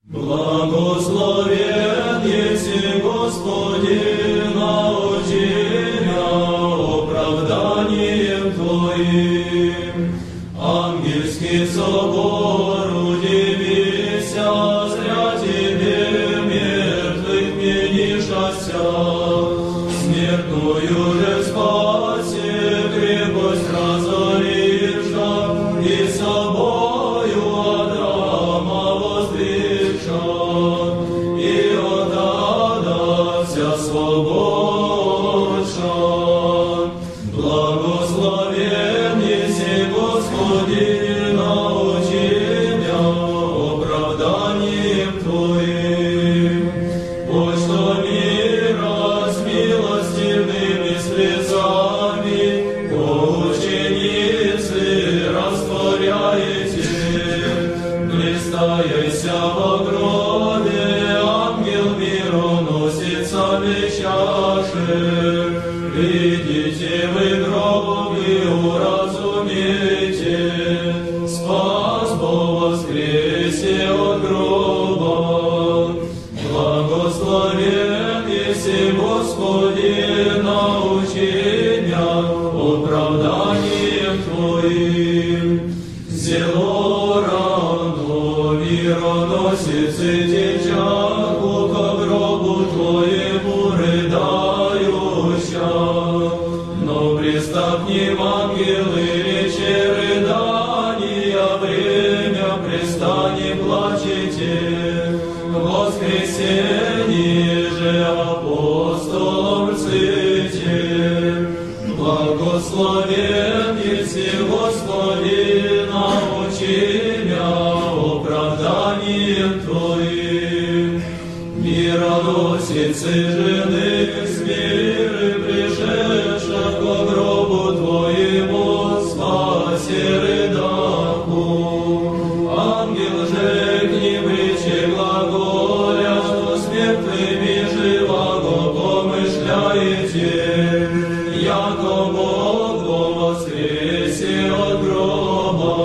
Благословен еси, Господи, научи меня оправданием Твоим. Ангельский собор, удивися, зря Тебе мертвых менишася. Смертную же спаси, крепость разоривша, и собою Адама воздвигша, и отдадася свободша. Благословен еси, Господи, научи меня оправданием Твоим. Пусть что мира с милостивыми слезами по ученицы растворяете. Блистаяся во гробе, ангел мироносицами чаши. Видите вы гроб и уразумейте, спас Бог воскресе от гроба. Благословен еси, Господи, научи меня оправданием Твоим. Зело рано мироносицы течаку ко гробу Твоему рыдающа. Но приступним ангелы речи рыдания, время пристани плачете. Воскресенье же апостолом рците. Благословен еси, Господи, научи меня оправданием Твоим. Мироносицы жены с миры пришедша ко гробу Твоему, спаси рыдаку. Ангел же к ним речи глаголя, что с мертвыми живаго помышляете, яко Бог воскресе от гроба.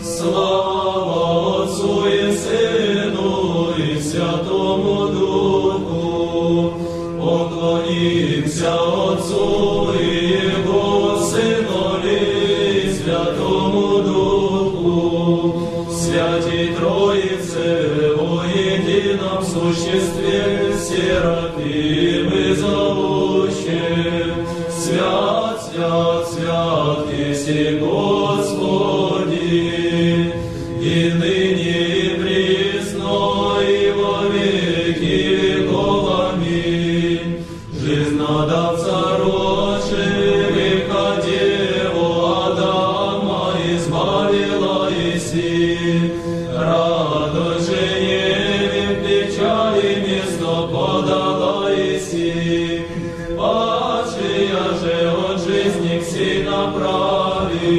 Слава Отцу и Сыну и Святому Духу. Поклонимся Отцу и Его Сынові и Святому Духу. Святій Троице во едином существе, серафимы зовущие. Свят, свят, свят, еси Господи, и ныне и присно, и во веки веков. Аминь. Жизнодавца рожи, века Деву Адама избавила еси. Радость же Еве в печали место подала еси. Падшая же от жизни к сей направи.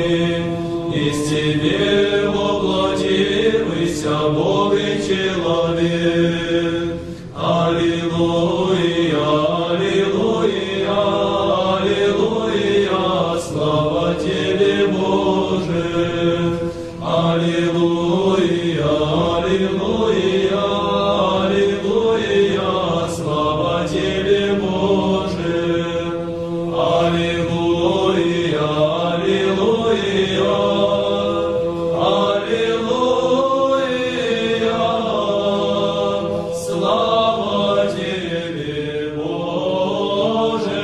Из Тебе воплотився Бог и человек. Аллилуйя, аллилуйя, аллилуйя, слава Тебе, Боже. Аллилуйя, аллилуйя, аллилуйя, слава Тебе, Боже. Аллилуйя, аллилуйя, аллилуйя, слава Тебе, Боже.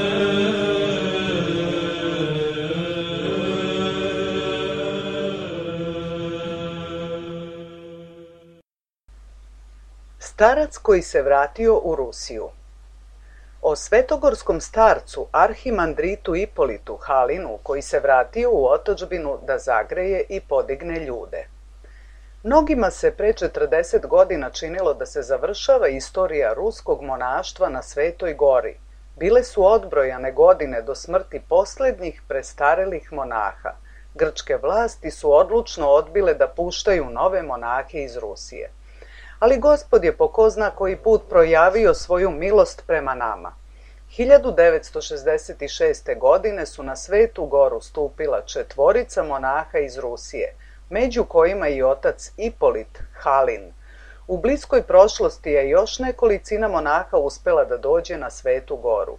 Starac koji se vratio u Rusiju. O svetogorskom starcu arhimandritu Ipolitu Halinu koji se vratio u otadžbinu da zagreje i podigne ljude. Mnogima se pre 40 godina činilo da se završava istorija ruskog monaštva na Svetoj gori. Bile su odbrojane godine do smrti poslednjih prestarelih monaha. Grčke vlasti su odlučno odbile da puštaju nove monahe iz Rusije. Ali Gospod je po ko zna koji put projavio svoju milost prema nama. 1966. godine su na Svetu goru stupila 4 monaha iz Rusije, među kojima i otac Ipolit Halin. U bliskoj prošlosti je još nekolicina monaha uspela da dođe na Svetu goru.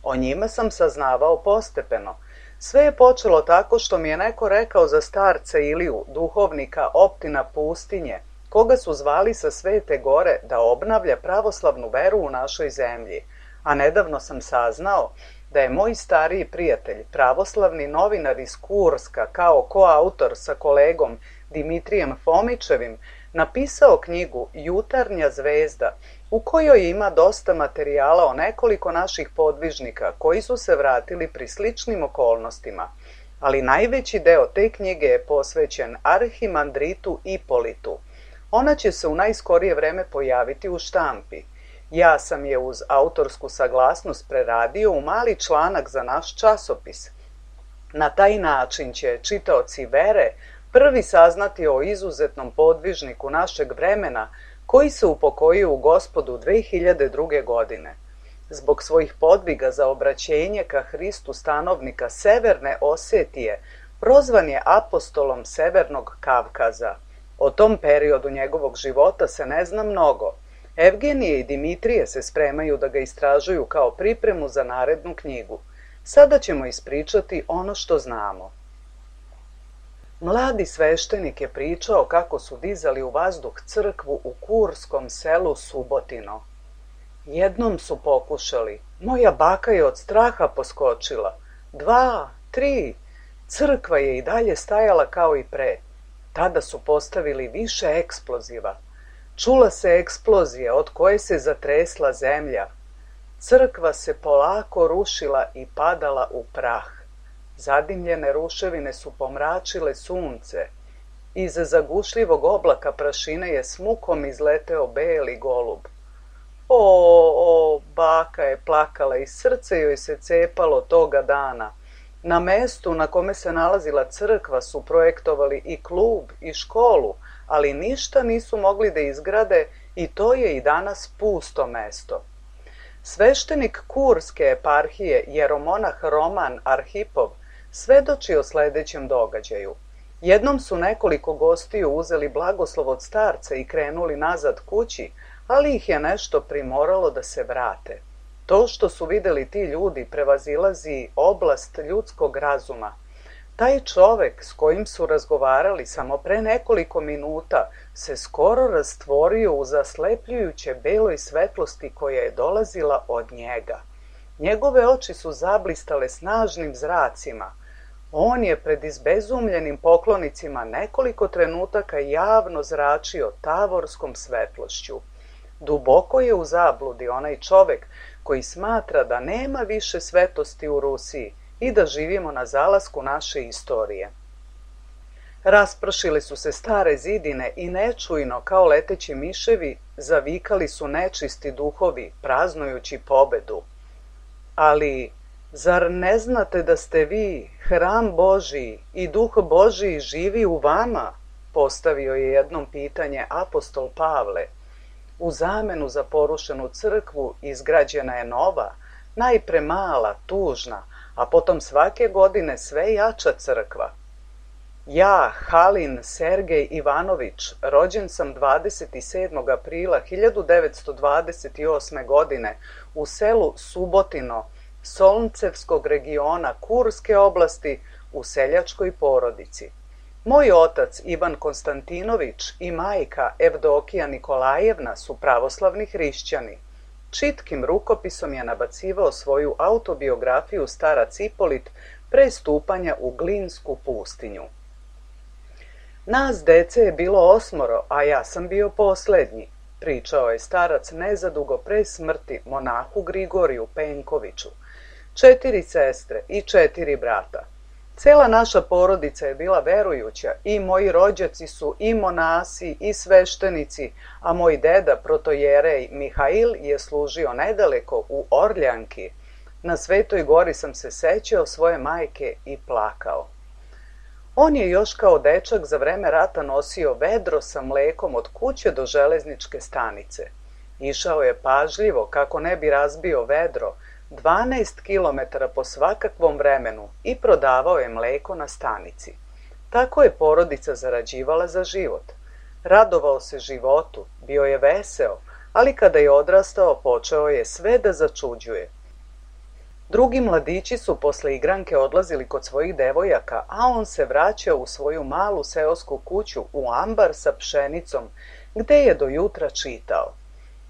O njima sam saznavao postepeno. Sve je počelo tako što mi je neko rekao za starca Iliju, duhovnika Optina pustinje, koga su zvali sa Svete gore da obnavlja pravoslavnu veru u našoj zemlji, a nedavno sam saznao da je moj stariji prijatelj, pravoslavni novinar iz Kurska, kao koautor sa kolegom Dimitrijem Fomičevim, napisao knjigu Jutarnja zvezda, u kojoj ima dosta materijala o nekoliko naših podvižnika koji su se vratili pri sličnim okolnostima, ali najveći deo te knjige je posvećen arhimandritu Ipolitu. Ona će se u najskorije vreme pojaviti u štampi. Ja sam je uz autorsku saglasnost preradio u mali članak za naš časopis. Na taj način će čitaoci vere prvi saznati o izuzetnom podvižniku našeg vremena koji se upokojio u Gospodu 2002. godine. Zbog svojih podviga za obraćenje ka Hristu stanovnika Severne Osetije, prozvan je apostolom Severnog Kavkaza. O tom periodu njegovog života se ne zna mnogo. Evgenije i Dimitrije se spremaju da ga istražuju kao pripremu za narednu knjigu. Sada ćemo ispričati ono što znamo. Mladi sveštenik je pričao kako su dizali u vazduh crkvu u kurskom selu Subotino. Jednom su pokušali. Moja baka je od straha poskočila. 2, 3. Crkva je i dalje stajala kao i pre. Tada su postavili više eksploziva. Čula se eksplozija od koje se zatresla zemlja. Crkva se polako rušila i padala u prah. Zadimljene ruševine su pomračile sunce. Iz zagušljivog oblaka prašine je s mukom izleteo beli golub. O, baka je plakala i srce joj se cepalo toga dana. Na mestu na kome se nalazila crkva su projektovali i klub i školu, ali ništa nisu mogli da izgrade i to je i danas pusto mesto. Sveštenik Kurske eparhije, jeromonah Roman Arhipov, svedoči o sledećem događaju. Jednom su nekoliko gostiju uzeli blagoslov od starca i krenuli nazad kući, ali ih je nešto primoralo da se vrate. To što su videli ti ljudi prevazilazi oblast ljudskog razuma. Taj čovek s kojim su razgovarali samo pre nekoliko minuta se skoro rastvorio u zaslepljujuće beloj svetlosti koja je dolazila od njega. Njegove oči su zablistale snažnim zracima. On je pred izbezumljenim poklonicima nekoliko trenutaka javno zračio tavorskom svetlošću. Duboko je u zabludi onaj čovek koji smatra da nema više svetosti u Rusiji i da živimo na zalasku naše istorije. Raspršile su se stare zidine i nečujno, kao leteći miševi, zavikali su nečisti duhovi, praznujući pobedu. Ali, zar ne znate da ste vi, hram Božiji i duh Božiji živi u vama? Postavio je jednom pitanje apostol Pavle. U zamenu za porušenu crkvu izgrađena je nova, najpre mala, tužna, a potom svake godine sve jača crkva. Ja, Halin Sergej Ivanović, rođen sam 27. aprila 1928. godine u selu Subotino, Solncevskog regiona Kurske oblasti u seljačkoj porodici. Moj otac Ivan Konstantinović i majka Evdokija Nikolajevna su pravoslavni hrišćani. Čitkim rukopisom je nabacivao svoju autobiografiju starac Ipolit pre stupanja u Glinsku pustinju. Nas dece je bilo 8, a ja sam bio poslednji, pričao je starac nezadugo pre smrti monahu Grigoriju Penkoviću. 4 sestre i 4 brata. Cela naša porodica je bila verujuća i moji rođaci su i monasi i sveštenici, a moj deda, protojerej Mihail, je služio nedaleko u Orljanki. Na Svetoj gori sam se sećao svoje majke i plakao. On je još kao dečak za vreme rata nosio vedro sa mlekom od kuće do železničke stanice. Išao je pažljivo kako ne bi razbio vedro, 12 kilometara po svakakvom vremenu i prodavao je mleko na stanici. Tako je porodica zarađivala za život. Radovao se životu, bio je veseo, ali kada je odrastao počeo je sve da začuđuje. Drugi mladići su posle igranke odlazili kod svojih devojaka, a on se vraćao u svoju malu seosku kuću u ambar sa pšenicom, gde je do jutra čitao.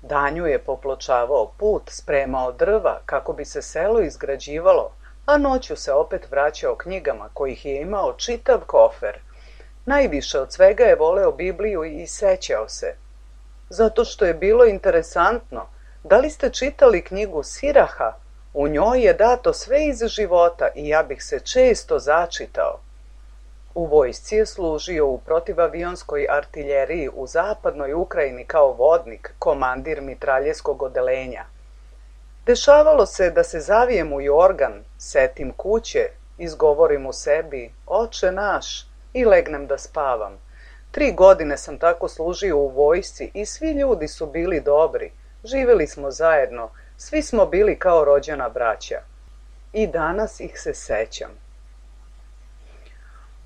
Danju je popločavao put, spremao drva kako bi se selo izgrađivalo, a noću se opet vraćao knjigama kojih je imao čitav kofer. Najviše od svega je voleo Bibliju i sećao se. Zato što je bilo interesantno. Da li ste čitali knjigu Siraha? U njoj je dato sve iz života i ja bih se često začitao. U vojsci je služio u protivavionskoj artiljeriji u zapadnoj Ukrajini kao vodnik, komandir mitraljeskog odelenja. Dešavalo se da se zavijem u jorgan, setim kuće, izgovorim u sebi, Oče naš, i legnem da spavam. 3 godine sam tako služio u vojsci i svi ljudi su bili dobri. Živjeli smo zajedno, svi smo bili kao rođena braća. I danas ih se sećam.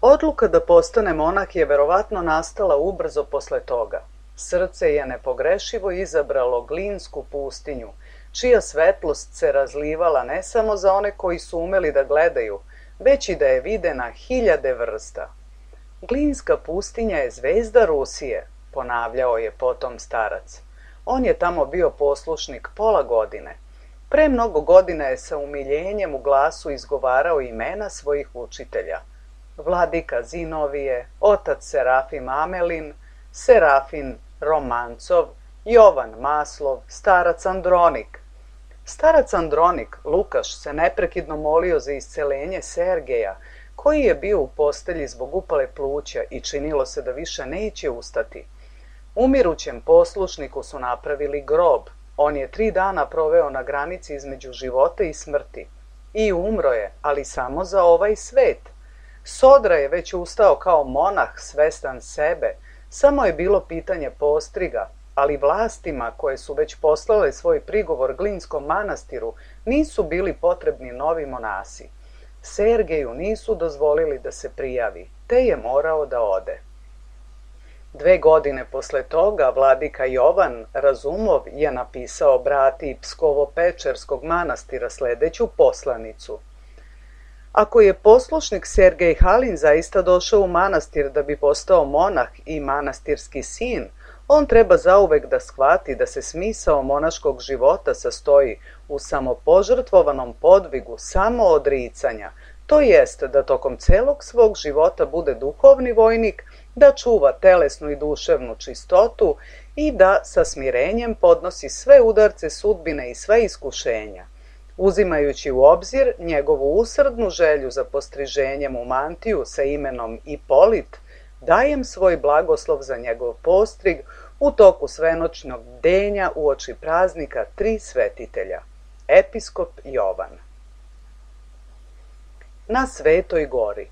Odluka da postane monah je verovatno nastala ubrzo posle toga. Srce je nepogrešivo izabralo Glinsku pustinju, čija svetlost se razlivala ne samo za one koji su umeli da gledaju, već i da je vide na 1000 vrsta. Glinska pustinja je zvezda Rusije, ponavljao je potom starac. On je tamo bio poslušnik pola godine. Pre mnogo godina je sa umiljenjem u glasu izgovarao imena svojih učitelja. Vladika Zinovije, otac Serafim Amelin, Serafin Romancov, Jovan Maslov, starac Andronik. Starac Andronik, Lukaš, se neprekidno molio za iscelenje Sergeja, koji je bio u postelji zbog upale pluća i činilo se da više neće ustati. Umirućem poslušniku su napravili grob. On je 3 dana proveo na granici između života i smrti. I umro je, ali samo za ovaj svet. Sodra je već ustao kao monah, svestan sebe. Samo je bilo pitanje postriga, ali vlastima koje su već poslale svoj prigovor Glinskom manastiru nisu bili potrebni novi monasi. Sergeju nisu dozvolili da se prijavi, te je morao da ode. 2 godine posle toga vladika Jovan Razumov je napisao brati Pskovo-Pečerskog manastira sledeću poslanicu. Ako je poslušnik Sergej Halin zaista došao u manastir da bi postao monah i manastirski sin, on treba zauvek da shvati da se smisao monaškog života sastoji u samopožrtvovanom podvigu samoodricanja, to jest da tokom celog svog života bude duhovni vojnik, da čuva telesnu i duševnu čistotu i da sa smirenjem podnosi sve udarce sudbine i sve iskušenja. Uzimajući u obzir njegovu usrdnu želju za postriženjem u mantiju sa imenom Ipolit, dajem svoj blagoslov za njegov postrig u toku svenoćnog bdenja uoči praznika 3 svetitelja. Episkop Jovan. Na Svetoj gori.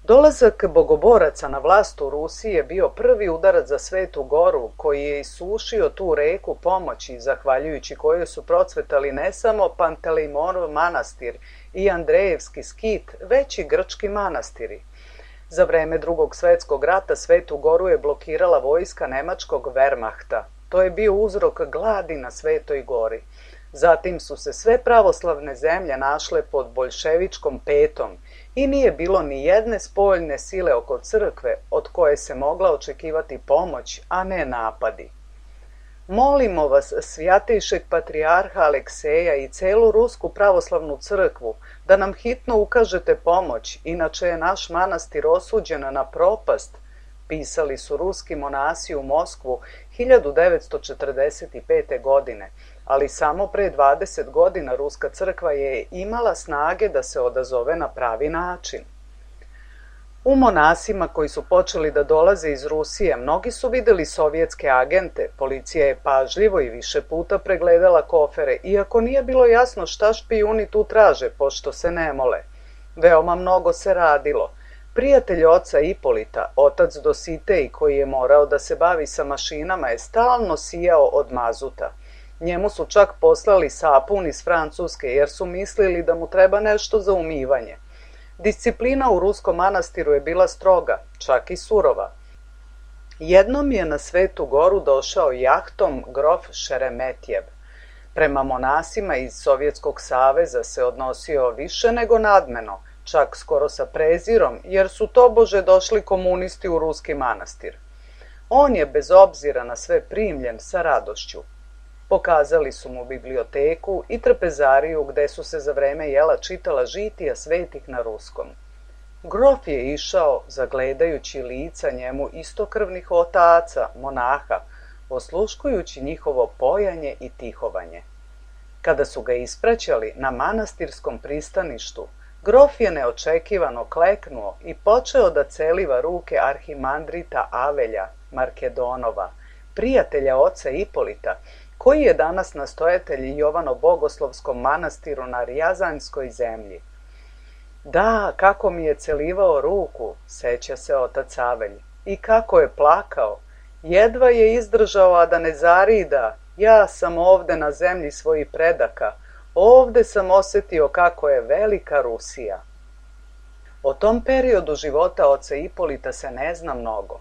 Dolazak bogoboraca na vlast u Rusiji je bio prvi udarac za Svetu goru, koji je isušio tu reku pomoći, zahvaljujući kojoj su procvetali ne samo Pantelejmonov manastir i Andrejevski skit, već i grčki manastiri. Za vreme Drugog svetskog rata Svetu goru je blokirala vojska nemačkog Wehrmachta. To je bio uzrok gladi na Svetoj gori. Zatim su se sve pravoslavne zemlje našle pod boljševičkom petom i nije bilo ni jedne spoljne sile oko crkve od koje se mogla očekivati pomoć, a ne napadi. Molimo vas, svjatejšeg patrijarha Alekseja i celu Rusku pravoslavnu crkvu, da nam hitno ukažete pomoć, inače je naš manastir osuđen na propast, pisali su ruski monasi u Moskvu 1945. godine, ali samo pre 20 godina Ruska crkva je imala snage da se odazove na pravi način. U monasima koji su počeli da dolaze iz Rusije, mnogi su videli sovjetske agente, policija je pažljivo i više puta pregledala kofere, iako nije bilo jasno šta špijuni tu traže, pošto se ne mole. Veoma mnogo se radilo. Prijatelj oca Ipolita, otac Dositej, koji je morao da se bavi sa mašinama, je stalno sijao od mazuta. Njemu su čak poslali sapun iz Francuske, jer su mislili da mu treba nešto za umivanje. Disciplina u ruskom manastiru je bila stroga, čak i surova. Jednom je na Svetu Goru došao jahtom grof Šeremetjev. Prema monasima iz Sovjetskog saveza se odnosio više nego nadmeno, čak skoro sa prezirom, jer su tobože došli komunisti u ruski manastir. On je bez obzira na sve primljen sa radošću. Pokazali su mu biblioteku i trpezariju gde su se za vreme jela čitala žitija svetih na ruskom. Grof je išao, zagledajući lica njemu istokrvnih otaca, monaha, osluškujući njihovo pojanje i tihovanje. Kada su ga ispraćali na manastirskom pristaništu, grof je neočekivano kleknuo i počeo da celiva ruke arhimandrita Avelja Markedonova, prijatelja oca Ipolita, koji je danas nastojatelj Jovano-Bogoslovskom manastiru na Rjazanjskoj zemlji. Da, kako mi je celivao ruku, seća se otac Avelj, i kako je plakao. Jedva je izdržao, a da ne zarida. Ja sam ovde na zemlji svojih predaka. Ovde sam osetio kako je velika Rusija. O tom periodu života oca Ipolita se ne zna mnogo.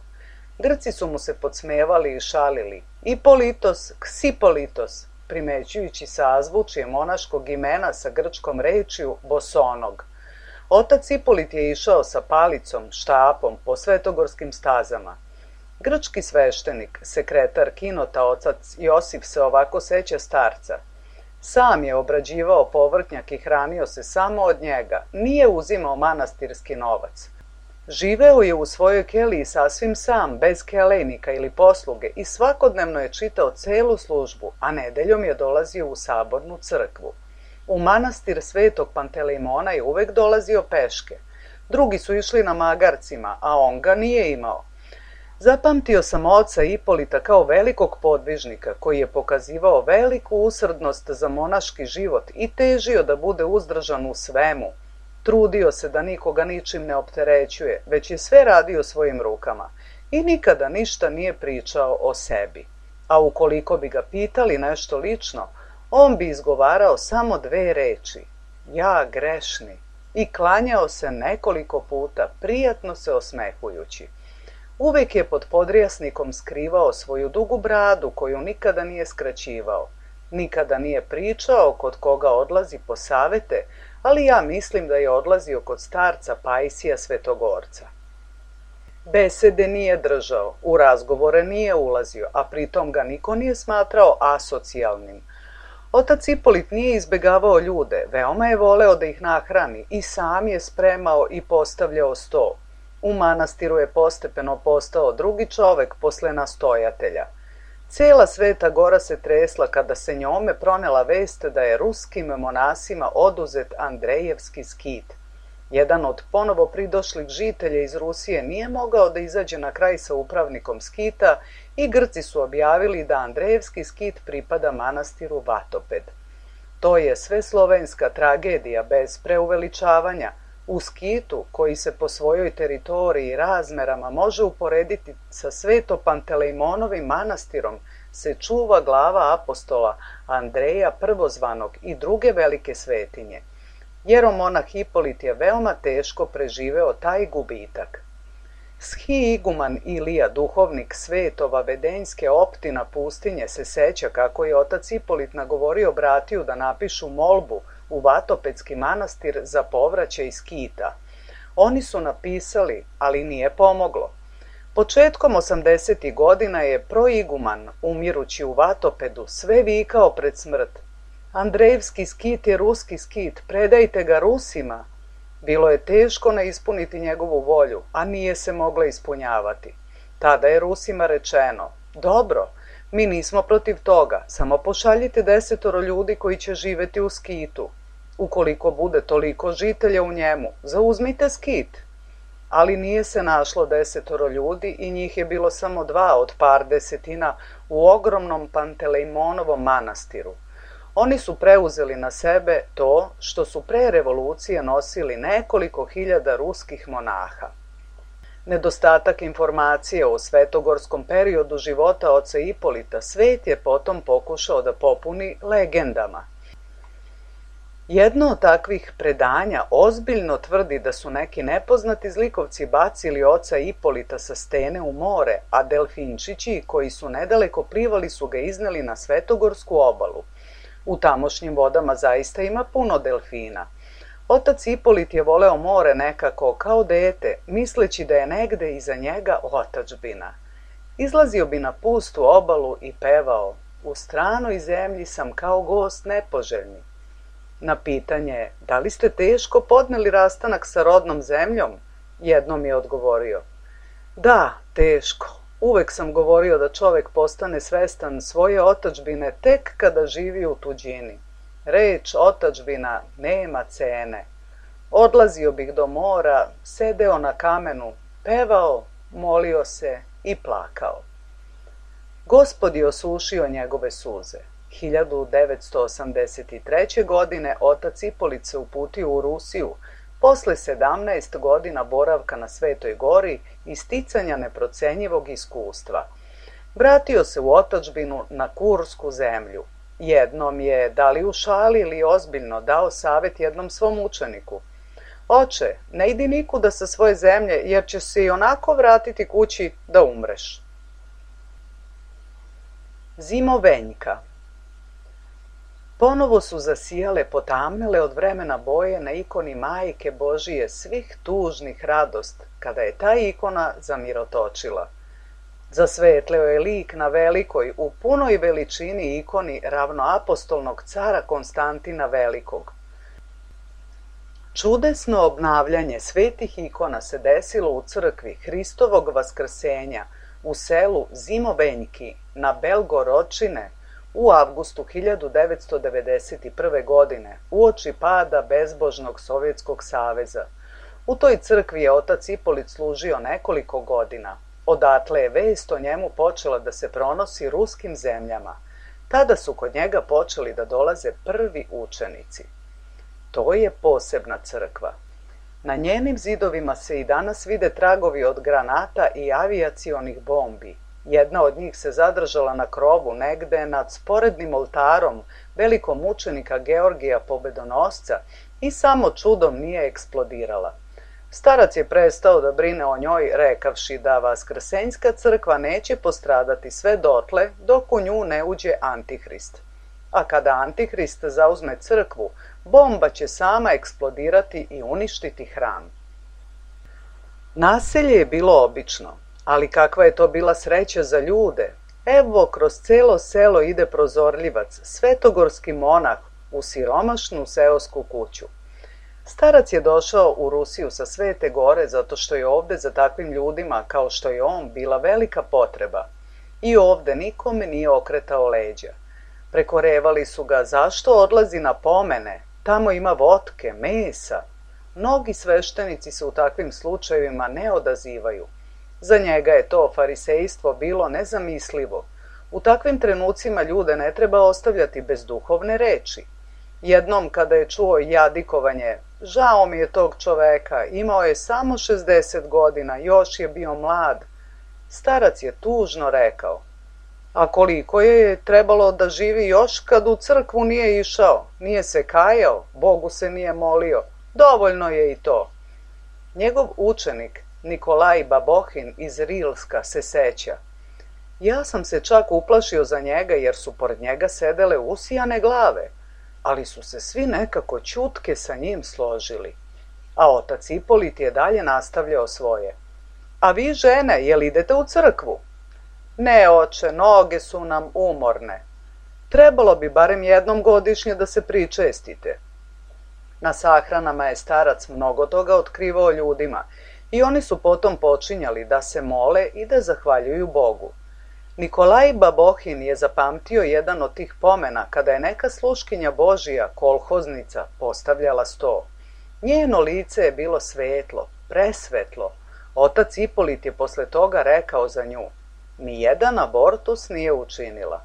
Grci su mu se podsmevali i šalili. Ipolitos, ksipolitos, primećujući sazvučje monaškog imena sa grčkom rečju bosonog. Otac Ipolit je išao sa palicom, štapom po svetogorskim stazama. Grčki sveštenik, sekretar kinota otac Josif se ovako seća starca. Sam je obrađivao povrtnjak i hranio se samo od njega, nije uzimao manastirski novac. Živeo je u svojoj keliji sasvim sam, bez kelejnika ili posluge i svakodnevno je čitao celu službu, a nedeljom je dolazio u sabornu crkvu. U manastir Svetog Pantelejmona je uvek dolazio peške. Drugi su išli na magarcima, a on ga nije imao. Zapamtio sam oca Ipolita kao velikog podvižnika koji je pokazivao veliku usrdnost za monaški život i težio da bude uzdržan u svemu. Trudio se da nikoga ničim ne opterećuje, već je sve radio svojim rukama i nikada ništa nije pričao o sebi. A ukoliko bi ga pitali nešto lično, on bi izgovarao samo 2 reči: ja grešni, i klanjao se nekoliko puta, prijatno se osmehujući. Uvek je pod podrijasnikom skrivao svoju dugu bradu koju nikada nije skraćivao. Nikada nije pričao kod koga odlazi po savete, ali ja mislim da je odlazio kod starca Pajsija Svetogorca. Besede nije držao, u razgovore nije ulazio, a pritom ga niko nije smatrao asocijalnim. Otac Ipolit nije izbegavao ljude, veoma je voleo da ih nahrani i sam je spremao i postavljao sto. U manastiru je postepeno postao drugi čovek posle nastojatelja. Cela Sveta Gora se tresla kada se njome pronela vest da je ruskim monasima oduzet Andrejevski skit. Jedan od ponovo pridošlih žitelja iz Rusije nije mogao da izađe na kraj sa upravnikom skita i Grci su objavili da Andrejevski skit pripada manastiru Vatoped. To je sveslovenska tragedija bez preuveličavanja. U skitu, koji se po svojoj teritoriji i razmerama može uporediti sa Sveto-Pantelejmonovim manastirom, se čuva glava apostola Andreja Prvozvanog i druge velike svetinje. Jeromonah Ipolit je veoma teško preživeo taj gubitak. Schi-iguman Ilija, duhovnik Svetova Vedenjske optina pustinje, se seća kako je otac Ipolit nagovorio bratiju da napišu molbu u Vatopedski manastir za povraćaj skita. Oni su napisali, ali nije pomoglo. Početkom 80. godina je proiguman, umirući u Vatopedu, sve vikao pred smrt: Andrejevski skit je ruski skit, predajte ga Rusima. Bilo je teško ne ispuniti njegovu volju, a nije se mogla ispunjavati. Tada je Rusima rečeno: dobro, mi nismo protiv toga, samo pošaljite 10 ljudi koji će živeti u skitu. Ukoliko bude toliko žitelja u njemu, zauzmite skit. Ali nije se našlo 10 ljudi i njih je bilo samo 2 od par desetina u ogromnom Pantelejmonovom manastiru. Oni su preuzeli na sebe to što su pre revolucije nosili nekoliko hiljada ruskih monaha. Nedostatak informacije o svetogorskom periodu života oca Ipolita svet je potom pokušao da popuni legendama. Jedno od takvih predanja ozbiljno tvrdi da su neki nepoznati zlikovci bacili oca Ipolita sa stene u more, a delfinčići koji su nedaleko plivali su ga izneli na Svetogorsku obalu. U tamošnjim vodama zaista ima puno delfina. Otac Ipolit je voleo more nekako kao dete, misleći da je negde iza njega otadžbina. Izlazio bi na pustu obalu i pevao: "U stranoj zemlji sam kao gost nepoželjni." Na pitanje: "Da li ste teško podneli rastanak sa rodnom zemljom?" jednom je odgovorio: "Da, teško. Uvek sam govorio da čovek postane svestan svoje otadžbine tek kada živi u tuđini. Reč otadžbina nema cene. Odlazio bih do mora, sedeo na kamenu, pevao, molio se i plakao." Gospod je osušio njegove suze. 1983. godine otac Ipolit se uputio u Rusiju posle 17 godina boravka na Svetoj gori i sticanja neprocenjivog iskustva. Vratio se u otadžbinu na Kursku zemlju. Jednom je, da li u šali ili ozbiljno, dao savet jednom svom učeniku: "Oče, ne idi nikuda sa svoje zemlje, jer ćeš se i onako vratiti kući da umreš." Zimovenjka. Ponovo su zasijale potamnele od vremena boje na ikoni Majke Božije svih tužnih radost, kada je ta ikona zamirotočila. Zasvetleo je lik na velikoj, u punoj veličini ikoni ravnoapostolnog cara Konstantina Velikog. Čudesno obnavljanje svetih ikona se desilo u crkvi Hristovog vaskrsenja u selu Zimovenjki na Belgoročine u avgustu 1991. godine, uoči pada bezbožnog Sovjetskog saveza. U toj crkvi je otac Ipolit služio nekoliko godina. Odatle je vest o njemu počela da se pronosi ruskim zemljama. Tada su kod njega počeli da dolaze prvi učenici. To je posebna crkva. Na njenim zidovima se i danas vide tragovi od granata i avijacionih bombi. Jedna od njih se zadržala na krovu negde nad sporednim oltarom velikom mučenika Georgija Pobedonosca i samo čudom nije eksplodirala. Starac je prestao da brine o njoj, rekavši da Vaskrsenjska crkva neće postradati sve dotle dok u nju ne uđe Antihrist. A kada Antihrist zauzme crkvu, bomba će sama eksplodirati i uništiti hram. Naselje je bilo obično, ali kakva je to bila sreća za ljude. Evo, kroz celo selo ide prozorljivac, svetogorski monah, u siromašnu seosku kuću. Starac je došao u Rusiju sa Svete gore zato što je ovde za takvim ljudima kao što je on bila velika potreba. I ovde nikome nije okretao leđa. Prekorevali su ga: "Zašto odlazi na pomene? Tamo ima votke, mesa." Mnogi sveštenici se u takvim slučajevima ne odazivaju. Za njega je to farisejstvo bilo nezamislivo. U takvim trenucima ljude ne treba ostavljati bez duhovne reči. Jednom kada je čuo jadikovanje: "Žao mi je tog čoveka, imao je samo 60 godina, još je bio mlad." Starac je tužno rekao: "A koliko je trebalo da živi još kad u crkvu nije išao, nije se kajao, Bogu se nije molio, dovoljno je i to." Njegov učenik Nikolaj Babohin iz Rilska se seća: "Ja sam se čak uplašio za njega jer su pored njega sedele usijane glave, ali su se svi nekako ćutke sa njim složili." A otac Ipolit je dalje nastavljao svoje: "A vi žene, jel idete u crkvu?" "Ne, oče, noge su nam umorne." "Trebalo bi barem jednom godišnje da se pričestite." Na sahranama je starac mnogo toga otkrivao ljudima i oni su potom počinjali da se mole i da zahvaljuju Bogu. Nikolaj Babohin je zapamtio jedan od tih pomena kada je neka sluškinja Božija, kolhoznica, postavljala sto. Njeno lice je bilo svetlo, presvetlo. Otac Ipolit je posle toga rekao za nju: "Nijedan abortus nije učinila."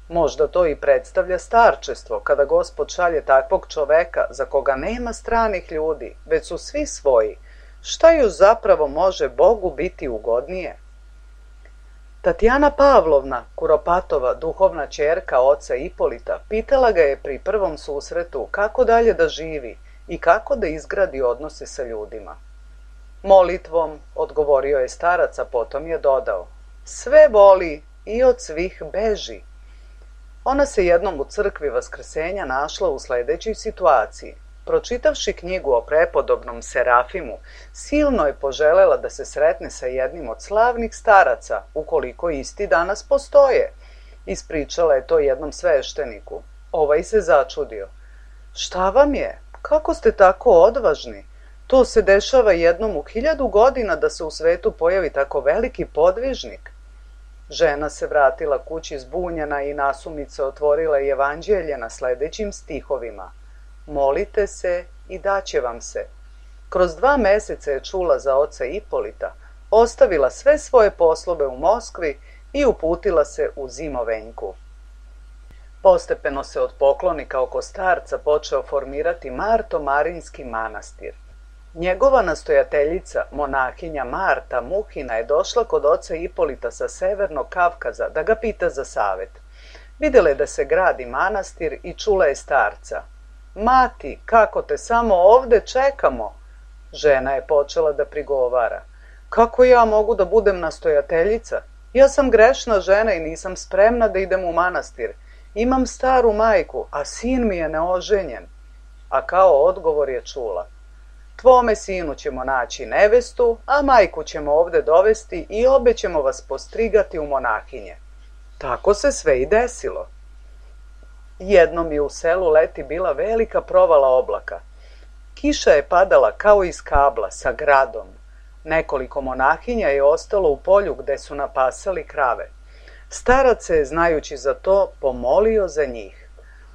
Možda to i predstavlja starčestvo, kada Gospod šalje takvog čoveka za koga nema stranih ljudi, već su svi svoji. Šta još zapravo može Bogu biti ugodnije? Tatjana Pavlovna Kuropatova, duhovna ćerka oca Ipolita, pitala ga je pri prvom susretu kako dalje da živi i kako da izgradi odnose sa ljudima. Molitvom, odgovorio je starac, a potom je dodao, sve voli i od svih beži. Ona se jednom u crkvi Vaskrsenja našla u sledećoj situaciji. Pročitavši knjigu o prepodobnom Serafimu, silno je poželela da se sretne sa jednim od slavnih staraca, ukoliko isti danas postoje. Ispričala je to jednom svešteniku. Ovaj se začudio. Šta vam je? Kako ste tako odvažni? To se dešava jednom u 1000 godina da se u svetu pojavi tako veliki podvižnik. Žena se vratila kući zbunjena i nasumice otvorila evanđelje na sledećim stihovima. Molite se i daće vam se. Kroz 2 meseca je čula za oca Ipolita, ostavila sve svoje poslove u Moskvi i uputila se u Zimovenjku. Postepeno se od poklonika oko starca počeo formirati Marto-Marinski manastir. Njegova nastojateljica, monahinja Marta Muhina, je došla kod oca Ipolita sa severnog Kavkaza da ga pita za savet. Videla je da se gradi manastir i čula je starca. Mati, kako te samo ovde čekamo? Žena je počela da prigovara. Kako ja mogu da budem nastojateljica? Ja sam grešna žena i nisam spremna da idem u manastir. Imam staru majku, a sin mi je neoženjen. A kao odgovor je čula. Tvome sinu ćemo naći nevestu, a majku ćemo ovde dovesti i obe ćemo vas postrigati u monahinje. Tako se sve i desilo. Jednom je u selu leti bila velika provala oblaka. Kiša je padala kao iz kabla sa gradom. Nekoliko monahinja je ostalo u polju gde su napasali krave. Starac se, znajući za to, pomolio za njih.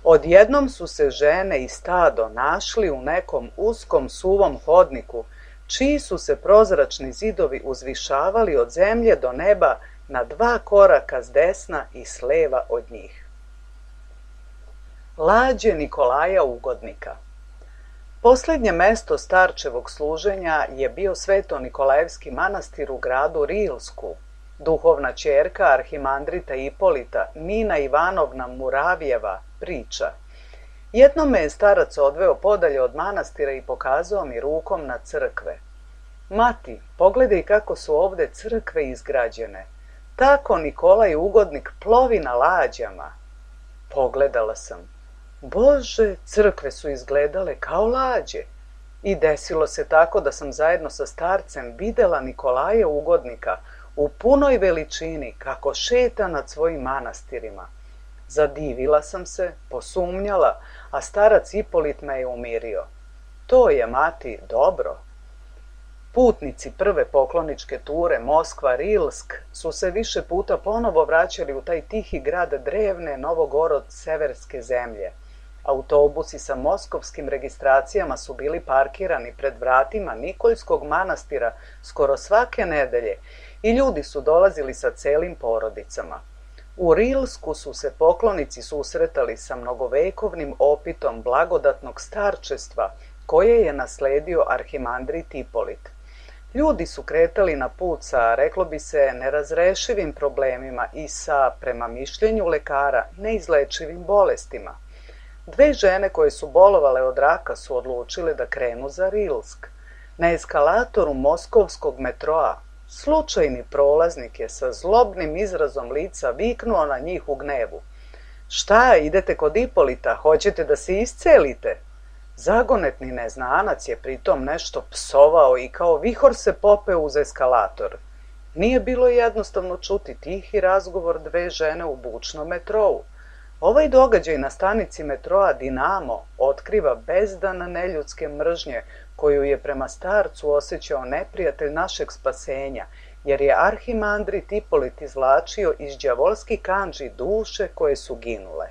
Odjednom su se žene i stado našli u nekom uskom suvom hodniku, čiji su se prozračni zidovi uzvišavali od zemlje do neba na 2 koraka s desna i s leva od njih. Lađe Nikolaja Ugodnika. Poslednje mesto starčevog služenja je bio Sveto-Nikolajevski manastir u gradu Rilsku. Duhovna ćerka arhimandrita Ipolita, Nina Ivanovna Muravjeva, priča. Jednom me je starac odveo podalje od manastira i pokazao mi rukom na crkve. Mati, pogledaj kako su ovde crkve izgrađene. Tako Nikolaj Ugodnik plovi na lađama. Pogledala sam. Bože, crkve su izgledale kao lađe. I desilo se tako da sam zajedno sa starcem videla Nikolaja Ugodnika u punoj veličini kako šeta nad svojim manastirima. Zadivila sam se, posumnjala, a starac Ipolit me je umirio. To je, mati, dobro. Putnici prve pokloničke ture Moskva-Rilsk su se više puta ponovo vraćali u taj tihi grad drevne Novogorod-severske zemlje. Autobusi sa moskovskim registracijama su bili parkirani pred vratima Nikoljskog manastira skoro svake nedelje i ljudi su dolazili sa celim porodicama. U Rilsku su se poklonici susretali sa mnogovekovnim opitom blagodatnog starčestva koje je nasledio arhimandrit Ipolit. Ljudi su kretali na put sa, reklo bi se, nerazrešivim problemima i sa, prema mišljenju lekara, neizlečivim bolestima. 2 žene koje su bolovale od raka su odlučile da krenu za Rilsk. Na eskalatoru moskovskog metroa slučajni prolaznik je sa zlobnim izrazom lica viknuo na njih u gnevu. Šta, idete kod Ipolita, hoćete da se iscelite? Zagonetni neznanac je pritom nešto psovao i kao vihor se popeo uz eskalator. Nije bilo jednostavno čuti tihi razgovor 2 žene u bučnom metrou. Ovaj događaj na stanici metroa Dinamo otkriva bezdan neljudske mržnje koju je prema starcu osjećao neprijatelj našeg spasenja, jer je arhimandrit Ipolit izvlačio iz đavolski kandži duše koje su ginule.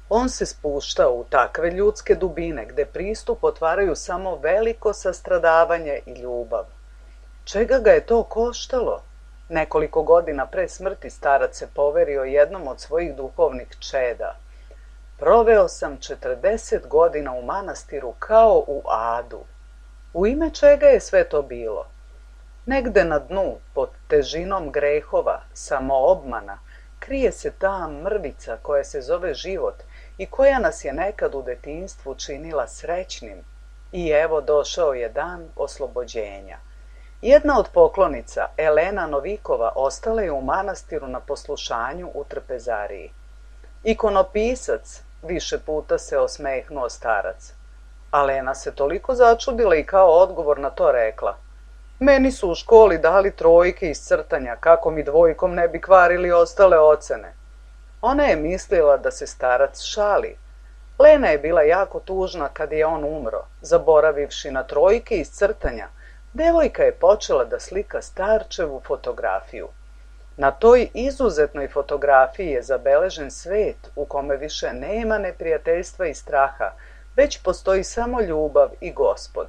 On se spuštao u takve ljudske dubine gde pristup otvaraju samo veliko sastradavanje i ljubav. Čega ga je to koštalo? Nekoliko godina pre smrti starac se poverio jednom od svojih duhovnih čeda. Proveo sam 40 godina u manastiru kao u adu. U ime čega je sve to bilo? Negde na dnu, pod težinom grehova, samoobmana, krije se ta mrvica koja se zove život i koja nas je nekad u detinjstvu činila srećnim. I evo došao je dan oslobođenja. Jedna od poklonica, Elena Novikova, ostala je u manastiru na poslušanju u trpezariji. Ikonopisac, više puta se osmehnuo starac. Alena se toliko začudila i kao odgovor na to rekla: meni su u školi dali trojke iz crtanja, kako mi dvojkom ne bi kvarili ostale ocene. Ona je mislila da se starac šali. Lena je bila jako tužna kad je on umro. Zaboravivši na trojke iz crtanja, devojka je počela da slika starčevu fotografiju. Na toj izuzetnoj fotografiji je zabeležen svet u kome više nema neprijateljstva i straha, već postoji samo ljubav i Gospod.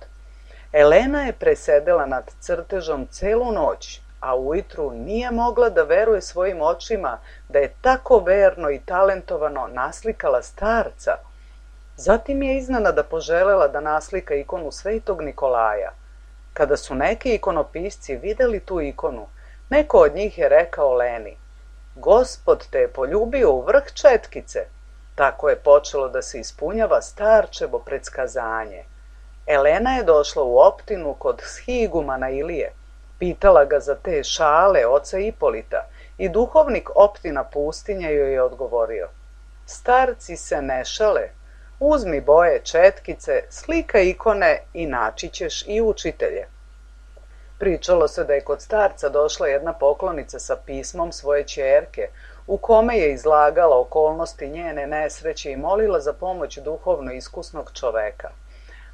Elena je presedela nad crtežom celu noć, a ujutru nije mogla da veruje svojim očima da je tako verno i talentovano naslikala starca. Zatim je iznenada poželela da naslika ikonu Svetog Nikolaja. Kada su neki ikonopisci videli tu ikonu, neko od njih je rekao Leni: Gospod te je poljubio u vrh četkice. Tako je počelo da se ispunjava starčevo predskazanje. Elena je došla u optinu kod shigumana Ilije, pitala ga za te šale oca Ipolita i duhovnik optina pustinja joj je odgovorio: starci se ne šale, uzmi boje četkice, slikaj ikone i naći ćeš i učitelje. Pričalo se da je kod starca došla jedna poklonica sa pismom svoje ćerke, u kome je izlagala okolnosti njene nesreće i molila za pomoć duhovno iskusnog čoveka.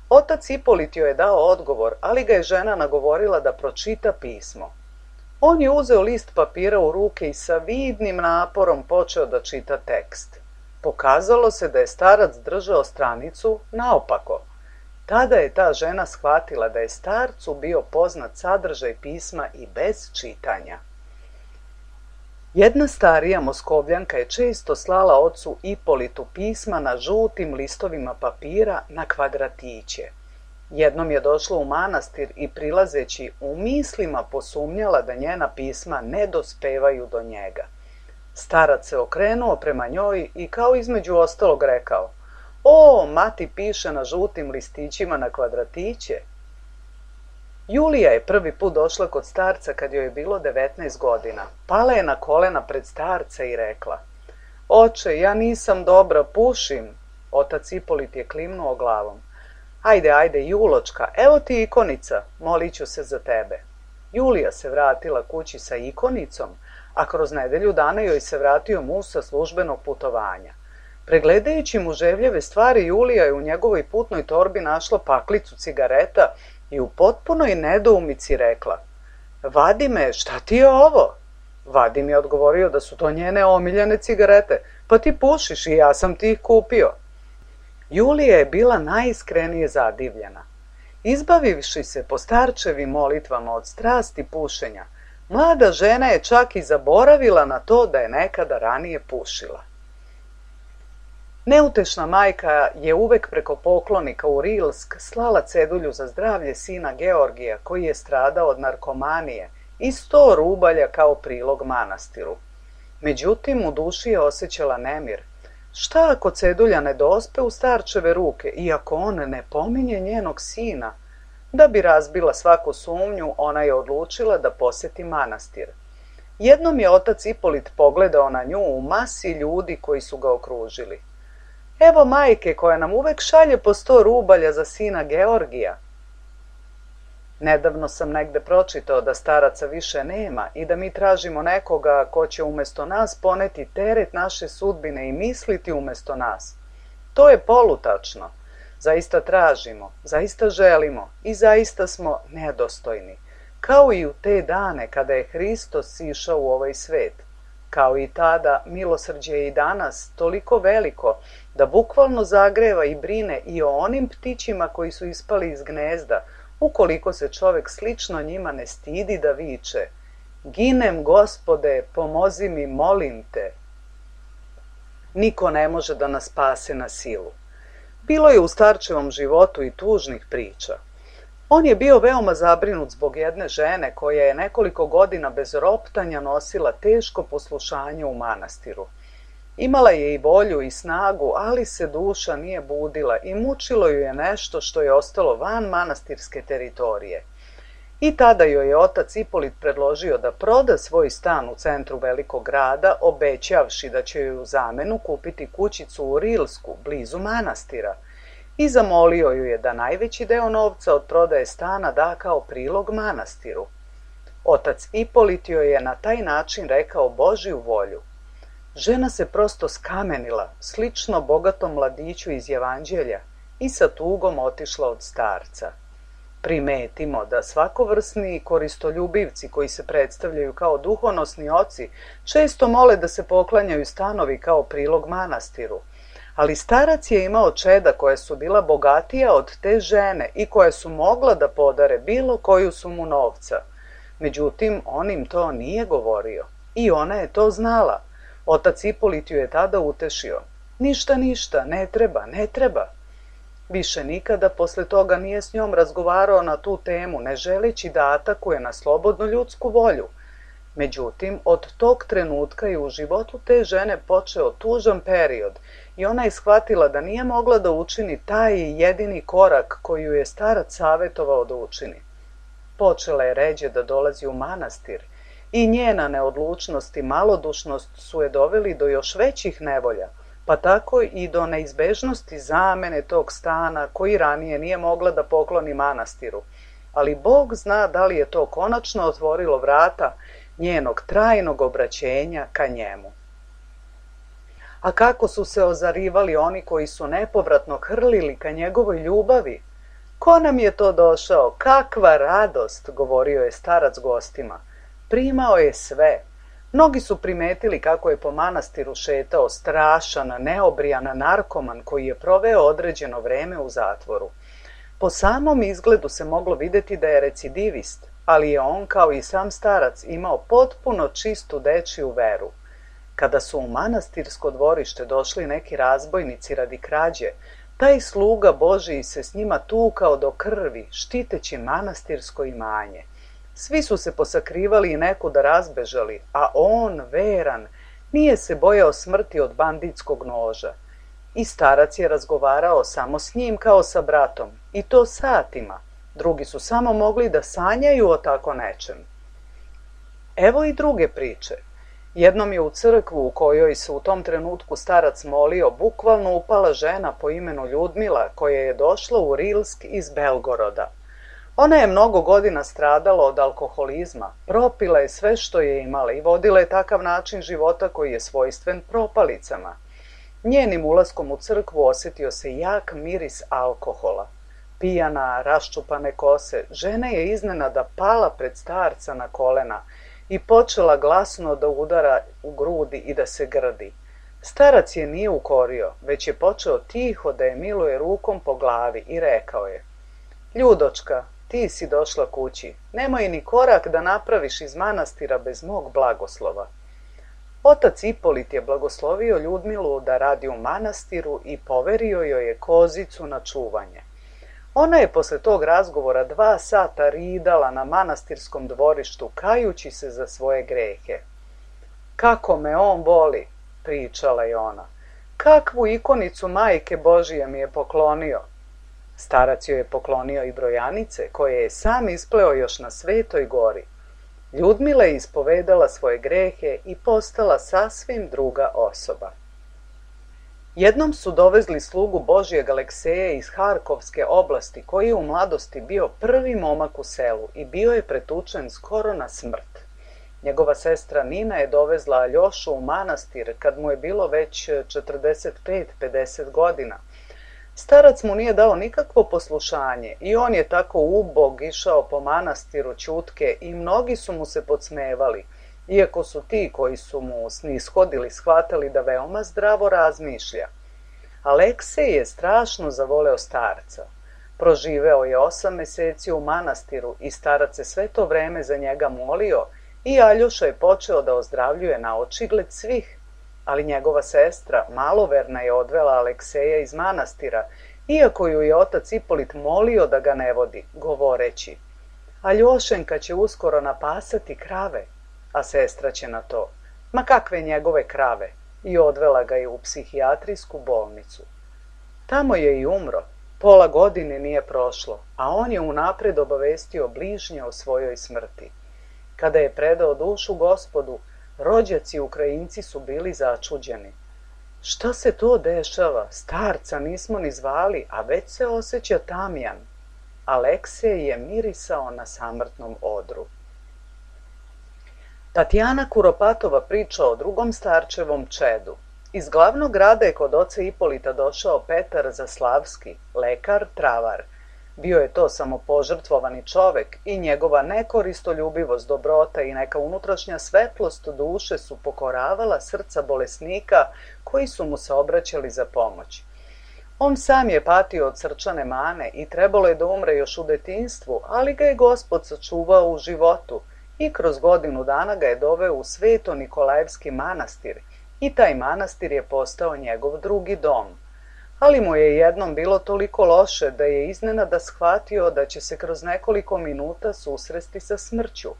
Otac Ipolit joj je dao odgovor, ali ga je žena nagovorila da pročita pismo. On je uzeo list papira u ruke i sa vidnim naporom počeo da čita tekst. Pokazalo se da je starac držao stranicu naopako. Tada je ta žena shvatila da je starcu bio poznat sadržaj pisma i bez čitanja. Jedna starija Moskovljanka je često slala ocu Ipolitu pisma na žutim listovima papira na kvadratiće. Jednom je došla u manastir i prilazeći u mislima posumnjala da njena pisma ne dospevaju do njega. Starac se okrenuo prema njoj i kao između ostalog rekao: O, mati piše na žutim listićima na kvadratiće. Julija je prvi put došla kod starca kad joj je bilo 19 godina. Pala je na kolena pred starca i rekla: Oče, ja nisam dobra, pušim. Otac Ipolit je klimnuo glavom. Ajde, Juločka, evo ti ikonica, molit ću se za tebe. Julija se vratila kući sa ikonicom, a kroz nedelju dana joj se vratio muž sa službenog putovanja. Pregledajući mu ževljeve stvari, Julija je u njegovoj putnoj torbi našla paklicu cigareta i u potpunoj nedoumici rekla: Vadime, šta ti je ovo? Vadim je odgovorio da su to njene omiljene cigarete. Pa ti pušiš i ja sam ti ih kupio. Julija je bila najiskrenije zadivljena. Izbavivši se po starčevim molitvama od strasti pušenja, mlada žena je čak i zaboravila na to da je nekada ranije pušila. Neutešna majka je uvek preko poklonika u Rilsk slala cedulju za zdravlje sina Georgija, koji je stradao od narkomanije, i 100 rubalja kao prilog manastiru. Međutim, u duši je osjećala nemir. Šta ako cedulja ne dospe u starčeve ruke, iako on ne pominje njenog sina? Da bi razbila svaku sumnju, ona je odlučila da poseti manastir. Jednom je otac Ipolit pogledao na nju u masi ljudi koji su ga okružili. Evo majke koja nam uvek šalje po 100 rubalja za sina Georgija. Nedavno sam negde pročitao da staraca više nema i da mi tražimo nekoga ko će umjesto nas poneti teret naše sudbine i misliti umjesto nas. To je polutačno. Zaista tražimo, zaista želimo i zaista smo nedostojni. Kao i u te dane kada je Hristos sišao u ovaj svet. Kao i tada, milosrđe je i danas toliko veliko da bukvalno zagreva i brine i o onim ptićima koji su ispali iz gnezda, ukoliko se čovek slično njima ne stidi da viče: Ginem, Gospode, pomozi mi, molim te. Niko ne može da nas spase na silu. Bilo je u starčevom životu i tužnih priča. On je bio veoma zabrinut zbog jedne žene koja je nekoliko godina bez roptanja nosila teško poslušanje u manastiru. Imala je i volju i snagu, ali se duša nije budila i mučilo ju je nešto što je ostalo van manastirske teritorije. I tada joj je otac Ipolit predložio da proda svoj stan u centru velikog grada, obećavši da će joj u zamenu kupiti kućicu u Rilsku, blizu manastira, i zamolio ju je da najveći deo novca od prodaje stana da kao prilog manastiru. Otac Ipolit joj je na taj način rekao Božju volju. Žena se prosto skamenila, slično bogatom mladiću iz Evanđelja, i sa tugom otišla od starca. Primetimo da svakovrsni koristoljubivci koji se predstavljaju kao duhonosni oci često mole da se poklanjaju stanovi kao prilog manastiru, ali starac je imao čeda koja su bila bogatija od te žene i koja su mogla da podare bilo koju sumu novca. Međutim, on im to nije govorio i ona je to znala. Otac Ipolit ju je tada utešio. Ništa, ne treba, ne treba. Više nikada posle toga nije s njom razgovarao na tu temu, ne želeći da atakuje na slobodnu ljudsku volju. Međutim, od tog trenutka je u životu te žene počeo tužan period i ona je shvatila da nije mogla da učini taj jedini korak koji ju je starac savetovao da učini. Počela je ređe da dolazi u manastir i njena neodlučnost i malodušnost su je doveli do još većih nevolja, pa tako i do neizbežnosti zamene tog stana koji ranije nije mogla da pokloni manastiru. Ali Bog zna da li je to konačno otvorilo vrata njenog trajnog obraćenja ka njemu. A kako su se ozarivali oni koji su nepovratno hrlili ka njegovoj ljubavi? Ko nam je to došao? Kakva radost, govorio je starac gostima. Primao je sve. Mnogi su primetili kako je po manastiru šetao strašan, neobrijan narkoman koji je proveo određeno vreme u zatvoru. Po samom izgledu se moglo videti da je recidivist, ali je on, kao i sam starac, imao potpuno čistu dečiju veru. Kada su u manastirsko dvorište došli neki razbojnici radi krađe, taj sluga Božiji se s njima tukao do krvi, štiteći manastirsko imanje. Svi su se posakrivali i nekuda razbežali, a on, veran, nije se bojao smrti od banditskog noža. I starac je razgovarao samo s njim kao sa bratom, i to satima. Drugi su samo mogli da sanjaju o tako nečem. Evo i druge priče. Jednom je u crkvu u kojoj se u tom trenutku starac molio bukvalno upala žena po imenu Ljudmila koja je došla u Rilsk iz Belgoroda. Ona je mnogo godina stradala od alkoholizma, propila je sve što je imala i vodila je takav način života koji je svojstven propalicama. Njenim ulaskom u crkvu osjetio se jak miris alkohola. Pijana, raščupane kose, žena je iznenada pala pred starca na kolena i počela glasno da udara u grudi i da se grdi. Starac je nije ukorio, već je počeo tiho da je miluje rukom po glavi i rekao je: Ljudočka, ti si došla kući, nemoj ni korak da napraviš iz manastira bez mog blagoslova. Otac Ipolit je blagoslovio Ljudmilu da radi u manastiru i poverio joj je kozicu na čuvanje. Ona je posle tog razgovora 2 sata ridala na manastirskom dvorištu, kajući se za svoje grehe. Kako me on voli, pričala je ona. Kakvu ikonicu Majke Božije mi je poklonio. Starac joj je poklonio i brojanice, koje je sam ispleo još na Svetoj gori. Ljudmila je ispovedala svoje grehe i postala sasvim druga osoba. Jednom su dovezli slugu Božijeg Alekseja iz Harkovske oblasti, koji je u mladosti bio prvi momak u selu i bio je pretučen skoro na smrt. Njegova sestra Nina je dovezla Aljošu u manastir kad mu je bilo već 45-50 godina. Starac mu nije dao nikakvo poslušanje i on je tako ubog išao po manastiru ćutke i mnogi su mu se podsmevali, iako su ti koji su mu snishodili shvatali da veoma zdravo razmišlja. Aleksej je strašno zavoleo starca. Proživeo je 8 meseci u manastiru i starac se sve to vreme za njega molio i Aljoša je počeo da ozdravljuje na očigled svih. Ali njegova sestra, maloverna, je odvela Alekseja iz manastira iako ju je otac Ipolit molio da ga ne vodi, govoreći: Aljošenka će uskoro napasati krave, a sestra će na to: ma kakve njegove krave, i odvela ga je u psihijatrijsku bolnicu. Tamo je i umro, pola godine nije prošlo, a on je unapred obavestio bližnje o svojoj smrti. Kada je predao dušu Gospodu, rođaci Ukrajinci su bili začuđeni. Šta se to dešava? Starca nismo ni zvali, a već se osjeća tamjan. Aleksej je mirisao na samrtnom odru. Tatjana Kuropatova priča o drugom starčevom čedu. Iz glavnog grada je kod oca Ipolita došao Petar Zaslavski, lekar, travar. Bio je to samopožrtvovani čovek i njegova nekoristoljubivost, dobrota i neka unutrašnja svetlost duše su pokoravala srca bolesnika koji su mu se obraćali za pomoć. On sam je patio od srčane mane i trebalo je da umre još u detinjstvu, ali ga je Gospod sačuvao u životu i kroz godinu dana ga je doveo u Sveto Nikolajevski manastir i taj manastir je postao njegov drugi dom. Ali mu je jednom bilo toliko loše da je iznenada shvatio da će se kroz nekoliko minuta susresti sa smrću.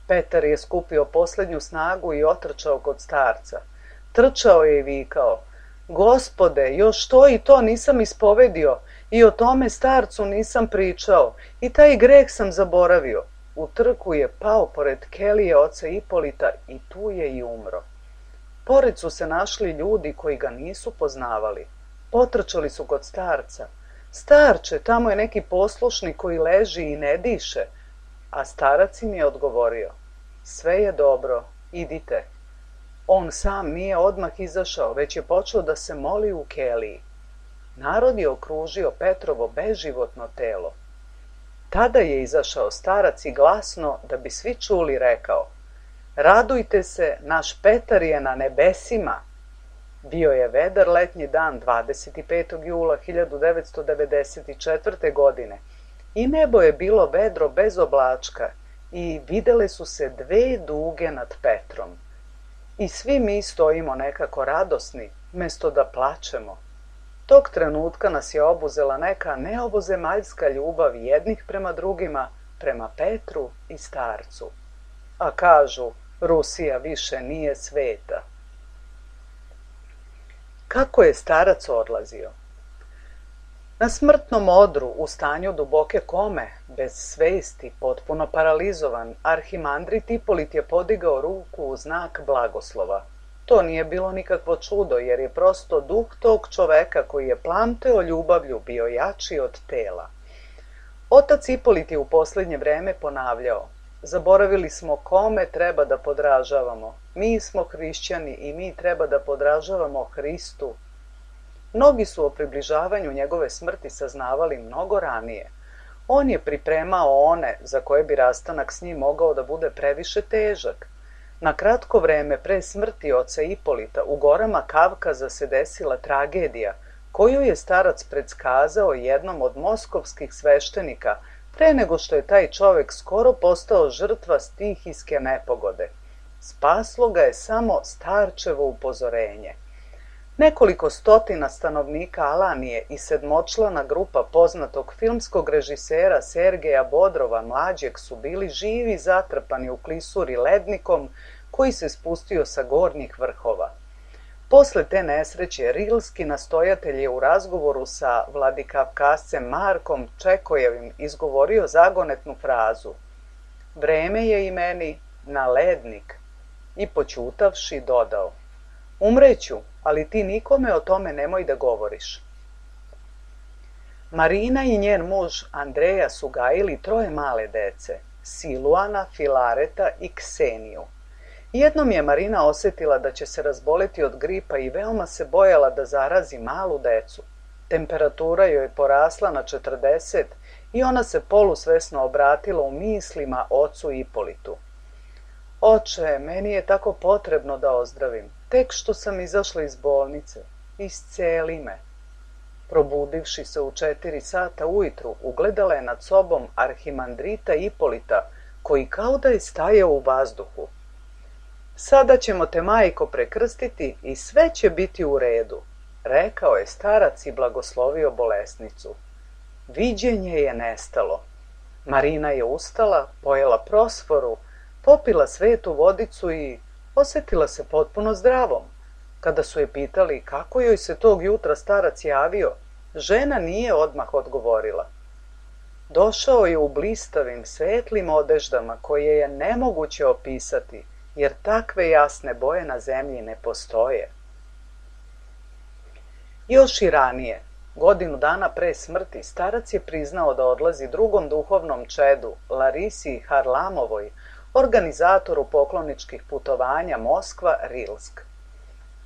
Petar je skupio poslednju snagu i otrčao kod starca. Trčao je i vikao: Gospode, još to i to nisam ispovedio i o tome starcu nisam pričao i taj greh sam zaboravio. U trku je pao pored kelije oca Ipolita i tu je i umro. Pored su se našli ljudi koji ga nisu poznavali. Potrčali su kod starca. Starče, tamo je neki poslušnik koji leži i ne diše. A starac im je odgovorio: sve je dobro, idite. On sam nije odmah izašao, već je počeo da se moli u keliji. Narod je okružio Petrovo beživotno telo. Tada je izašao starac i glasno, da bi svi čuli, rekao: radujte se, naš Petar je na nebesima. Bio je vedar letnji dan 25. jula 1994. godine i nebo je bilo vedro bez oblačka i videle su se dve duge nad Petrom. I svi mi stojimo nekako radosni, mesto da plačemo. Tog trenutka nas je obuzela neka neovozemaljska ljubav jednih prema drugima, prema Petru i starcu. A kažu, Rusija više nije sveta. Kako je starac odlazio? Na smrtnom odru, u stanju duboke kome, bez svesti, potpuno paralizovan, arhimandrit Ipolit je podigao ruku u znak blagoslova. To nije bilo nikakvo čudo, jer je prosto duh tog čoveka koji je plamteo ljubavlju bio jači od tela. Otac Ipolit je u poslednje vreme ponavljao: zaboravili smo kome treba da podražavamo. Mi smo hrišćani i mi treba da podražavamo Hristu. Mnogi su o približavanju njegove smrti saznavali mnogo ranije. On je pripremao one za koje bi rastanak s njim mogao da bude previše težak. Na kratko vreme pre smrti oca Ipolita u gorama Kavkaza se desila tragedija koju je starac predskazao jednom od moskovskih sveštenika pre nego što je taj čovek skoro postao žrtva stihijske nepogode. Spaslo ga je samo starčevo upozorenje. Nekoliko stotina stanovnika Alanije i sedmočlana grupa poznatog filmskog režisera Sergeja Bodrova mlađeg su bili živi zatrpani u klisuri lednikom koji se spustio sa gornjih vrhova. Posle te nesreće Rilski nastojatelj je u razgovoru sa vladikavkazcem Markom Čekojevim izgovorio zagonetnu frazu: vreme je i meni na lednik, i poćutavši dodao: umreću, ali ti nikome o tome nemoj da govoriš. Marina i njen muž Andreja su gajili 3 male dece: Siluana, Filareta i Kseniju. Jednom je Marina osetila da će se razboleti od gripa i veoma se bojala da zarazi malu decu. Temperatura joj je porasla na 40 i ona se polusvesno obratila u mislima ocu Ipolitu. Oče, meni je tako potrebno da ozdravim. Tek što sam izašla iz bolnice. Isceli me. Probudivši se u 4 sata ujutru, ugledala je nad sobom arhimandrita Ipolita, koji kao da je stajao u vazduhu. Sada ćemo te, majko, prekrstiti i sve će biti u redu, rekao je starac i blagoslovio bolesnicu. Viđenje je nestalo. Marina je ustala, pojela prosforu, popila svetu vodicu i osjetila se potpuno zdravom. Kada su je pitali kako joj se tog jutra starac javio, žena nije odmah odgovorila. Došao je u blistavim, svetlim odeždama koje je nemoguće opisati, jer takve jasne boje na zemlji ne postoje. Još i ranije, godinu dana pre smrti, starac je priznao da odlazi drugom duhovnom čedu, Larisi Harlamovoj, organizatoru pokloničkih putovanja Moskva-Rilsk.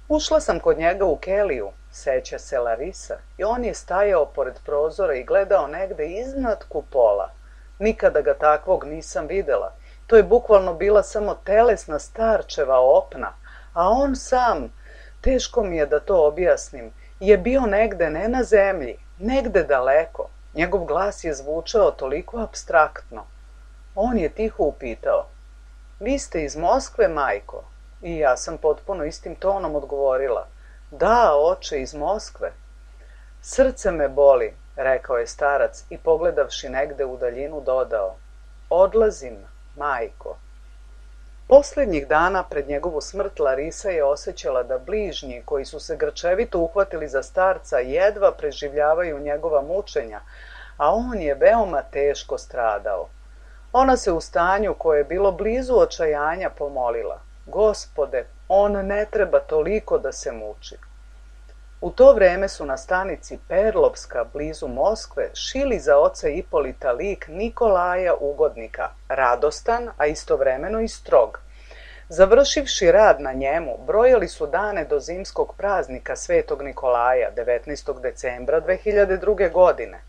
Ušla sam kod njega u keliju, seća se Larisa, i on je stajao pored prozora i gledao negde iznad kupola. Nikada ga takvog nisam videla. To je bukvalno bila samo telesna starčeva opna, a on sam, teško mi je da to objasnim, je bio negde ne na zemlji, negde daleko. Njegov glas je zvučao toliko apstraktno. On je tiho upitao: "Vi ste iz Moskve, majko?" I ja sam potpuno istim tonom odgovorila: "Da, oče, iz Moskve." "Srce me boli," rekao je starac i pogledavši negde u daljinu dodao: "Odlazim, majko." Posljednjih dana pred njegovu smrt Larisa je osjećala da bližnji koji su se grčevito uhvatili za starca jedva preživljavaju njegova mučenja, a on je veoma teško stradao. Ona se u stanju koje je bilo blizu očajanja pomolila: "Gospode, on ne treba toliko da se muči." U to vreme su na stanici Perlovska, blizu Moskve, šili za oca Ipolita lik Nikolaja Ugodnika, radostan, a istovremeno i strog. Završivši rad na njemu, brojali su dane do zimskog praznika Svetog Nikolaja, 19. decembra 2002. godine.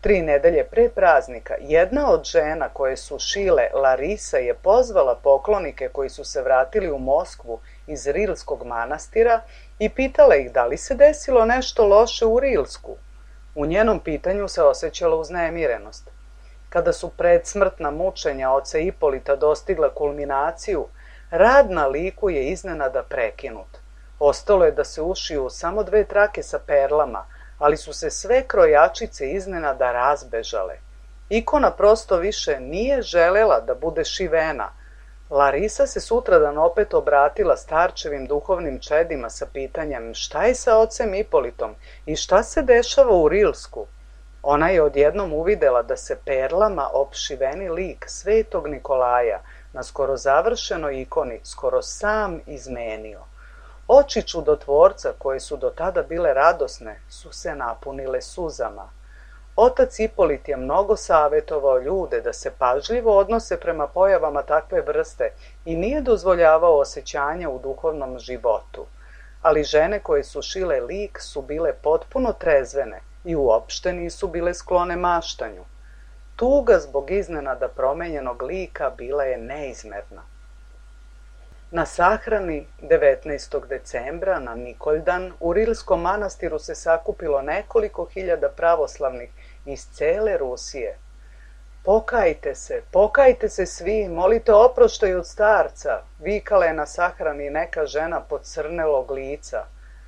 3 nedelje pre praznika, jedna od žena koje su šile, Larisa, je pozvala poklonike koji su se vratili u Moskvu iz Rilskog manastira i pitala ih da li se desilo nešto loše u Rilsku. U njenom pitanju se osjećala uznemirenost. Kada su predsmrtna mučenja oca Ipolita dostigla kulminaciju, rad na liku je iznenada prekinut. Ostalo je da se ušiju samo 2 trake sa perlama, ali su se sve krojačice iznenada razbežale. Ikona prosto više nije želela da bude šivena. Larisa se sutradan opet obratila starčevim duhovnim čedima sa pitanjem šta je sa ocem Ipolitom i šta se dešava u Rilsku. Ona je odjednom uvidela da se perlama opšiveni lik Svetog Nikolaja na skoro završenoj ikoni skoro sam izmenio. Oči čudotvorca, koje su do tada bile radosne, su se napunile suzama. Otac Ipolit je mnogo savjetovao ljude da se pažljivo odnose prema pojavama takve vrste i nije dozvoljavao osjećanja u duhovnom životu. Ali žene koje su šile lik su bile potpuno trezvene i uopšte nisu bile sklone maštanju. Tuga zbog iznenada promenjenog lika bila je neizmerna. Na sahrani 19. decembra na Nikoljdan u Rilskom manastiru se sakupilo nekoliko hiljada pravoslavnih iz cele Rusije. Pokajte se svi, molite oproštaj od starca," vikala je na sahrani neka žena pocrnelog lica,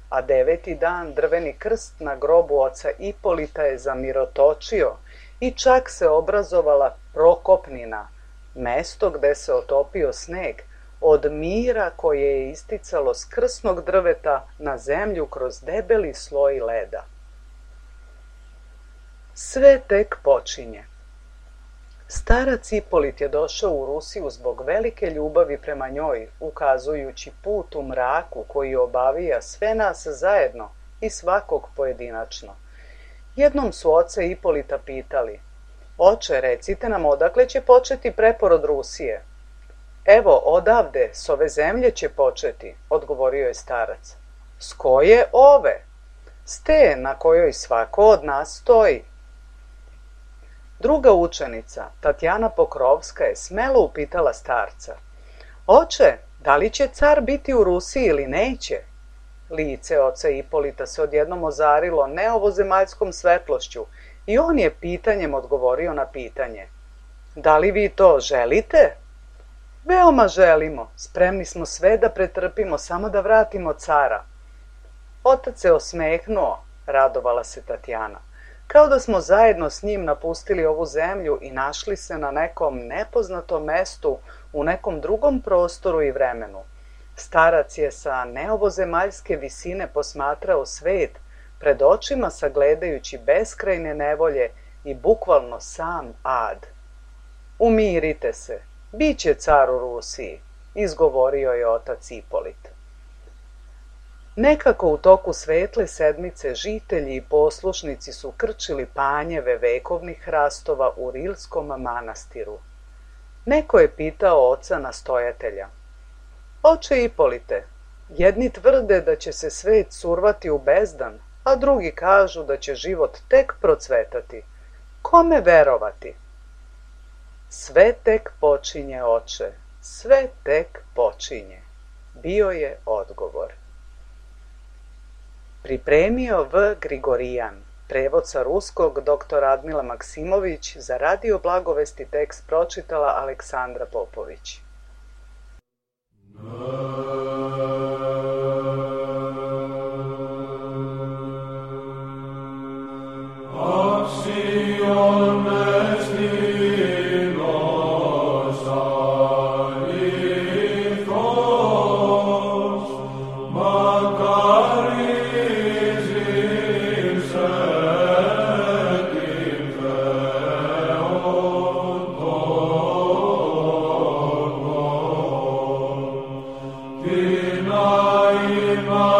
a 9. dan drveni krst na grobu oca Ipolita je zamirotočio i čak se obrazovala prokopnina, mesto gde se otopio sneg, od mira koje je isticalo s krsnog drveta na zemlju kroz debeli sloj leda. Sve tek počinje. Starac Ipolit je došao u Rusiju zbog velike ljubavi prema njoj, ukazujući put u mraku koji obavija sve nas zajedno i svakog pojedinačno. Jednom su oca Ipolita pitali: "Oče, recite nam odakle će početi preporod Rusije?" "Evo, odavde, s ove zemlje će početi," odgovorio je starac. "S koje ove?" "S te na kojoj svako od nas stoji." Druga učenica, Tatjana Pokrovska, je smelo upitala starca: "Oče, da li će car biti u Rusiji ili neće?" Lice oca Ipolita se odjednom ozarilo neovozemaljskom svetlošću i on je pitanjem odgovorio na pitanje: "Da li vi to želite?" "Veoma želimo, spremni smo sve da pretrpimo, samo da vratimo cara." Otac se osmehnuo, radovala se Tatjana, kao da smo zajedno s njim napustili ovu zemlju i našli se na nekom nepoznatom mestu u nekom drugom prostoru i vremenu. Starac je sa neovozemaljske visine posmatrao svet, pred očima sagledajući beskrajne nevolje i bukvalno sam ad. Umirite se, bit će car u Rusiji, izgovorio je otac Ipolit. Nekako u toku svetle sedmice žitelji i poslušnici su krčili panjeve vekovnih hrastova u Rilskom manastiru. Neko je pitao oca nastojatelja: Oče Ipolite, jedni tvrde da će se svet survati u bezdan, a drugi kažu da će život tek procvetati. Kome verovati? Sve tek počinje, oče, sve tek počinje, bio je odgovor. Pripremio V. Grigorijan, prevod sa ruskog dr. Radmila Maksimović, za Radio Blagovesti tekst pročitala Aleksandra Popović. Vina